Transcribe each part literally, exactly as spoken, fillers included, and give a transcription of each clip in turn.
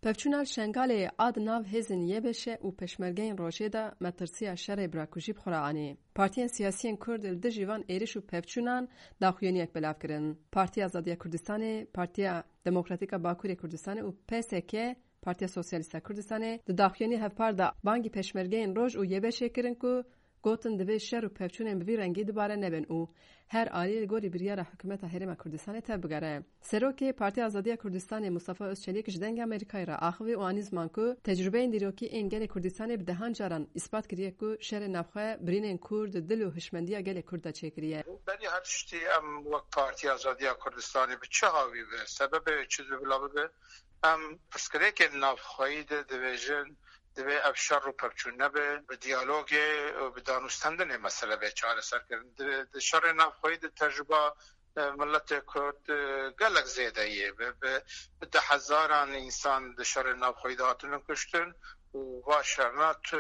Pevçûna li Şengalê a di nav hêzên Y B Ş û Pêşmergeyên Rojê de metirsiya şerê birakujî bi xwe re anî. Partiyên siyasiyên Kurd li dijî van êriş û pevçûnan daxuyaniyek belav kirin. Partiya Azadiya Kurdistanê, Partiya Demokratîk a Bakurê Kurdistanê û P S K, Partiya Sosyalîst a Kurdistanê, di daxuyaniyê hevpar de bangî Pêşmergeyên Roj û Y B Şê kirin ku gotin divê şer û pevçûnên bi vî rengî dubare nebin û her alî li gorî biryara Hikûmeta Herêma Kurdistanê tevbigere. Serokê Partiya Azadiya Kurdistanê Mustafa Özçelik ji Dengê Amerîkayê re axivî û anî ziman ku tecrûbeyên dîrokî ên gelê Kurdistanê bi dehan caran îspat kiriye ku şerê navxwe birînên kûr di dil û hişmendiya gelê Kurd de çêkiriye. Berî her tiştî em wek Partiya Azadiya Kurdistanê bi çi hawî be, sebebê çi dibe bila bibe, em pirsgirêkên navxweyî de dibêjin, divê ev şer û pevçûn nebe, bi diyalogê û bi danûstendinê mesele bê çareserkirin. Di, di şerê navxweyî de tecrûba, e, miletê Kurd, e, gelek zêde ye. Bi, bi, bi dehhezaran însan di şerê navxweyî de hatine kuştin û va şerna tu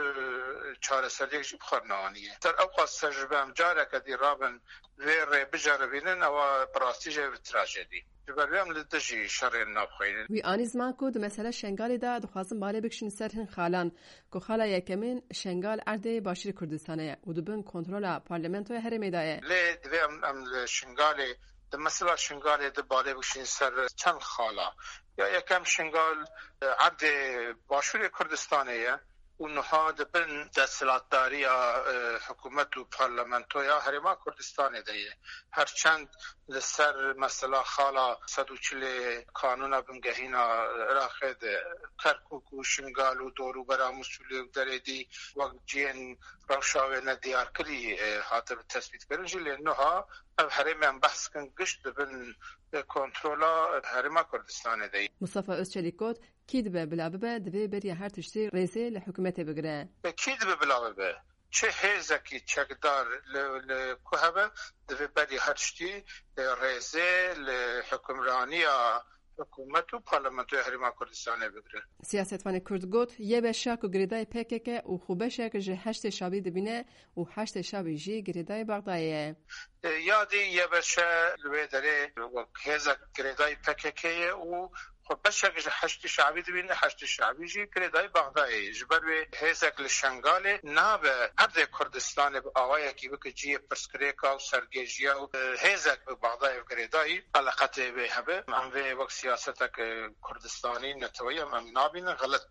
çareseriyek jî bi xwe neaniye. Ser ew qas tecrûbe em careke dî rabin vê rê biceribînin, ewa bi rastî jî ev trajedî. Ji ber wê em li dijî şerên navxweyî ne. Wî anî ziman ku di mesela Şengalê de dixwazin balê bikişin ser hin xalan, ku xala yekemîn Şengal erdê Başûrê Kurdistanê ye û di bin kontrola Parlamentoya Herêmê de ye. Lê divê em, em li Şingalê, di mesela Şingalê de balê bikişin ser çend xala. Ya yekem Şingal, e, erdê Başûrê Kurdistanê ye. Û niha di bin desthilatdariya, e, hikûmet û parlamentoya Herêma Kurdistanê de ye. Her çend li ser mesela xala sed û çilê Kanûna Bingehîna Iraqê de Kerkûk û Şingal û dorûbera Mûsulê û Derêdî wek cihên rewşa wê nediyarkirî, e, hatibe tespîtkirin jî, lê niha ev herêmê em behs dikin gişt di bin, e, kontrola Herêma Kurdistanê de ye. Mustafa Özçelik got, Kî dibe bila bibe, divê beriya her tiştî rêzê li hikûmetê bigire. Kî dibe bila bibe? Çi hêzekî çekdar li, li ku hebe, divê beriya her tiştî, e, rêzê li hikûmraniya hikûmet û parlamentoya Herêma Kurdistanê bigire. Siyasetvanê Kurd got, Y B Ş ku girêdayî P K K û xwe beşek ji Heşdê Şabî dibîne û Heşdê Şabî jî girêdayî Bexdayê ye. E, ya dî Y B Ş li wê derê wek hêzek girêdayî P K K ye û xwe beşek ji Heşdî Şabî dibîne, Heşdî Şabî jî girêdayî Bexdayê ye. Ji ber wê hêzek li Şengalê nabe erdê Kurdistanê bi awayekî bike cihê pirsgirêka û sergêjiya û, e, hêzek bi Bexdayê bi girêdayî eleqetê wê hebe. Em vê wek siyasetek, e, Kurdistanî neteweyî em, em nabînin, xelet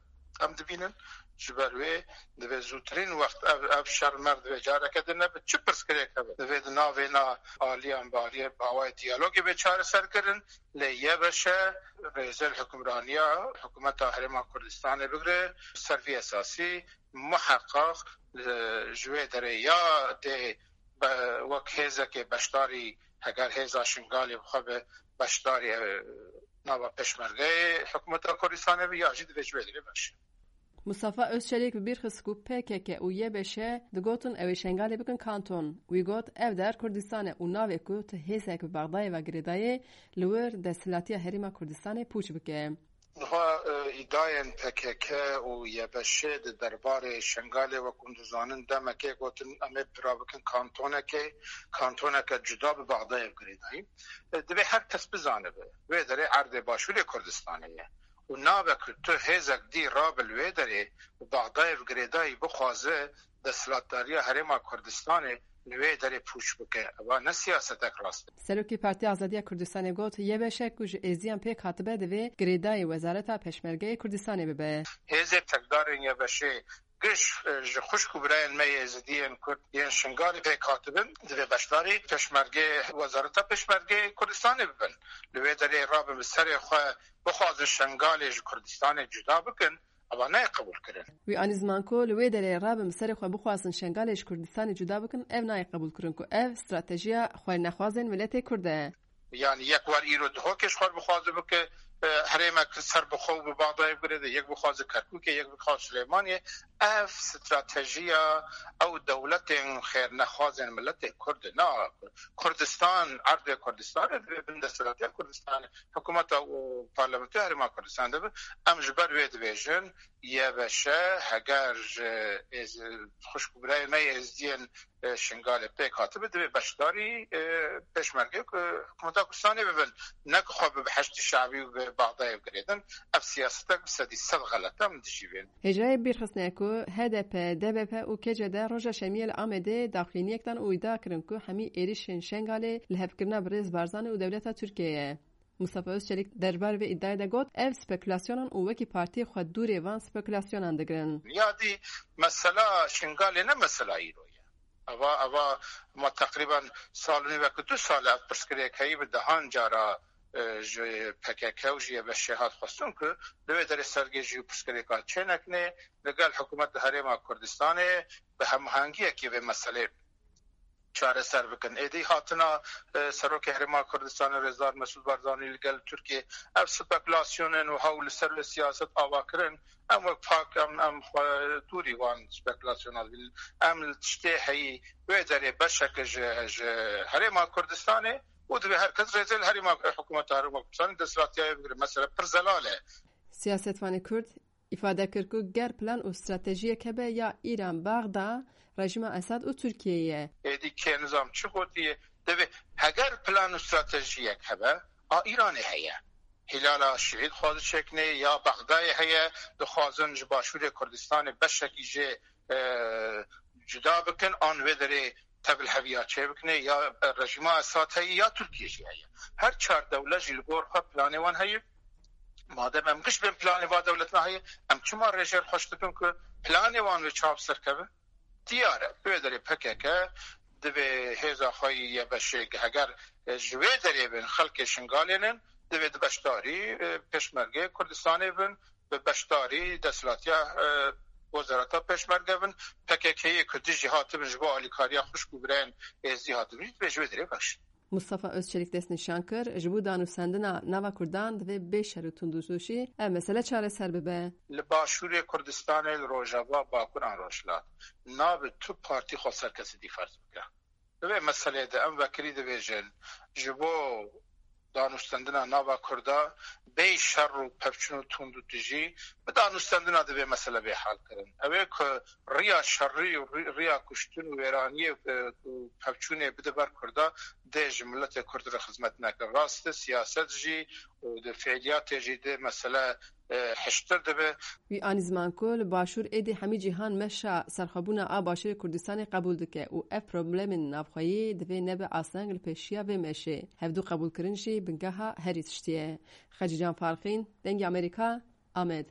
em dibînin. Ji ber wê divê zûtirîn wext ev, ev şer mer divê careke din nebe. Çi pirsgirêk hebe, divê di navêna aliyan bi aliyê bi awayê diyalogê bê çareser kirin. Lê Y B Ş rêzê li hikûmraniya hikûmeta Herêma Kurdistanê bigire. Ser vî esasî muheqeq, e, ji wê derê ya dê be-, wek hêzekê beşdarî, heger hêza Şingalê bi xwe be beşdarî, e, nava pêşmergeyê hikûmeta Kurdistanê be, ya jî divê ji wê derê beşe. Mustafa Özçelik bi bîr xist ku P K K û Y B Ş digotin ew ê Şengalê bikin kanton. Wî got, ev der Kurdistan e û navê ku tu hêzek bi Bexdayê ve girêdayê, li wir desthilatiya Herêma Kurdistanê pûç bike. Niha, e, îdayên P K K û Y B Ş di derbarê Şengalê, wek hûn dizanin, demekê gotin, em ê bira bikin kantonekê, kantoneke cuda bi Bexdayê ve girêdayî. E, divê her kes bizanibe, wê derê erdê Başûrê Kurdistanê ye. Û nabe ku tu hêzek dî rabe li wê derê û Bexdayê bi girêdayî bixwaze desthilatdariya Herêma Kurdistanê li wê derê pûç bike. Eva ne siyasetek rast e. Serokê Partiya Azadiya Kurdistanê got, Y B Ş ku ji êziyan pêk hatibe divê girêdayî Wezareta Pêşmergeyê Kurdistanê bibe. Hêzê çekdarên Y B Şê giş, e, ji xwişk û birayên me Êzidiyên Kurd yên Şingalê pêk hatibin, divê beşdarî pêşmergê, Wezareta Pêşmergê Kurdistanê bibin. Li wê derê rabin bi serê xwe bixwazin Şengalê ji Kurdistanê cuda bikin, eva nayê qebûlkirin. Wî anî ziman ku li wê derê rabin bi serê xwe bixwazin Şengalê ji Kurdistanê cuda bikin, ev nayê qebûlkirin ku ev stratejiya xwernexwazên miletê Kurd e. Yani yek wer îro Duhokê ji xwe bixwaze bike, e, herêmek serbixwe û bi Bexdayê bigirê de, yek bixwaze Kerkûkê, yek bixwaze Silêmaniyê. Ev stratejiya ew dewletên xêrnexwazên miletê Kurd e. Na, Kurdistan, erdê Kurdistanê divê bin desthilatiya Kurdistanê, hikûmeta û parlamentoya Herêma Kurdistanê de be. Em ji ber wê dibêjin, YBŞ heger ji êz-, xwişk û birayê me yê êzdiyên, e, Şingalê pêk hatibe, divê beşdarî, e, pêşmergê, e, hikûmeta Kurdistanê bibin. Ne ku xwe bi Heşdî Şabî û bi Bexdayê bigirêdin. Ev siyasetek bi sedî sed xelet e, min dijî vê. Hêjayê bîrxistine ku HDP, DBP û KCD roja şemiyê li Amedê daxuyaniyek dan û îdia kirin ku hemî êrîşên Şengalê li hevkirina birêz Barzanî û dewleta Tirkiyê ye. Mustafa Özçelik derbarê vê îdiayê de got, ev spekulasyonan û wekî partiyê xwe dûrê van spekulasyonan digirin. Ya dî mesela Şingalê ne mesela îro ye. Eva, eva ma teqrîben sal û nîvek, du sal ev pirsgirêk heyî, bi dehan cara, e, ji PKK û ji YBŞ hat xwestin ku li wê derê sergê jî pirsgirêka çênekine, li gel hikûmet li Herêma Kurdistanê bi hemahengiyekê vê meselê çareser bikin. Êdî hatina, e, Serokê Herêma Kurdistanê Rêzdar Mesûd Barzanî li gel Tirkiyê, ev spekulasyonên wiha û li ser wê siyaset ava kirin, em wek pak, em, em xwe dûrî wan spekulasyona dibînin. Em li tiştê heyî wê derê beşeke ji, ji Herêma Kurdistanê û divê her kes rêzê li Herêma, hikûmeta Herêma Kurdistanê desthilatiyê bigire. Mesele pir zelal e. Siyasetvanê Kurd îfade kir ku ger plan û stratejiyek hebe ya Îran, Baxda, rejîma Esad û Tirkiyeyê ye. Êdî kê nizam çi gotiye, divê heger plan û stratejiyek hebe, a Îranê heye. Hîlala Şiî dixwaze çêkinê, ya Bexdayê heye, dixwazin ji Başûrê Kurdistanê beşekî jê, e, cuda bikin, an wê derê tevlheviya çêbikine, ya rejîma Esad heye ya Tirkiye jî heye. Her çar dewlet jî li gor xwe planê wan heye. Madem em giş bên planê va dewletina heye, em çima rêjêr xweş dikin ku planê wan wê çav serkeve? Diyar e, bi wê derê PKK divê hêza xwe yê YBŞ'ê, heger, e, ji wê derê bin, xelkê Şingalê nin, divê di beşdarî, e, pêşmergê Kurdistanê bin, bi beşdarî desthilatiya, e, wezareta pêşmerge bin, PKK'yê ku dijî hatibin ji bo alîkariya xwişk û birayên êzdî hatibin, divê ji wê derê bexşin. Mustafa Özçelik destnîşan kir, ji bo danûstendina nava Kurdan divê bê şer û tundûtûşî ev mesele çareser bibe. Li Başûrê Kurdistanê, li Rojava, Bakur an Rojhilat, nabe tu partî xwe ser kesî dî ferz bike. Di vê meseleyê de em vekirî dibêjin, ji bo danûstendina nava Kurda bê şer û pevçûn û tundûtûjî, bi danûstendina divê mesele bê hal kirin. Ew ê ku riya şerî û ri-, riya kuştin û wêraniyê, e, û pevçûnê bide ber Kurda, dê ji miletê Kurd re xizmet neke. Rast e, siyaset jî û di fiiliyatê jî dê mesele, e, hiştir dibe. Wî anî ziman ku li Başûr êdî hemî cîhan meşa serxwebûna a Başûrê Kurdistanê qebûl dike û ev problemên navxweyî divê nebe asteng li pêşiya vê meşê. Hevdû qebûlkirin jî bingeha herî tiştî ye. Xecîcan Farqîn, Dengê Amerîka, Amed.